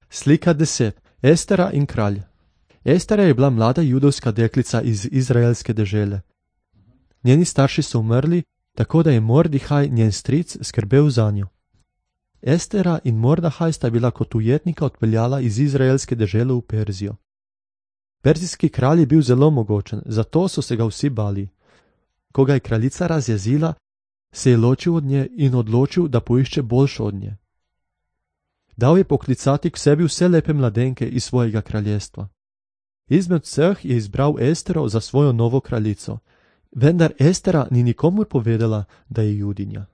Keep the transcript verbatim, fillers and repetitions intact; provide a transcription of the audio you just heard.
Slika deset. Estera in kralj. Estera je bila mlada judovska deklica iz izraelske dežele. Njeni starši so umrli, tako da je Mordihaj, njen stric, skrbel zanjo. Estera in Mordahaj sta bila kot ujetnika odpeljala iz izraelske dežele v Perzijo. Perzijski kralj je bil zelo mogočen, zato so se ga vsi bali. Ko ga je kraljica razjezila, se je ločil od nje in odločil, da poišče boljšo od nje. Dal je poklicati k sebi vse lepe mladenke iz svojega kraljestva. Izmed vseh je izbral Estero za svojo novo kraljico, vendar Estera ni nikomur povedala, da je Judinja.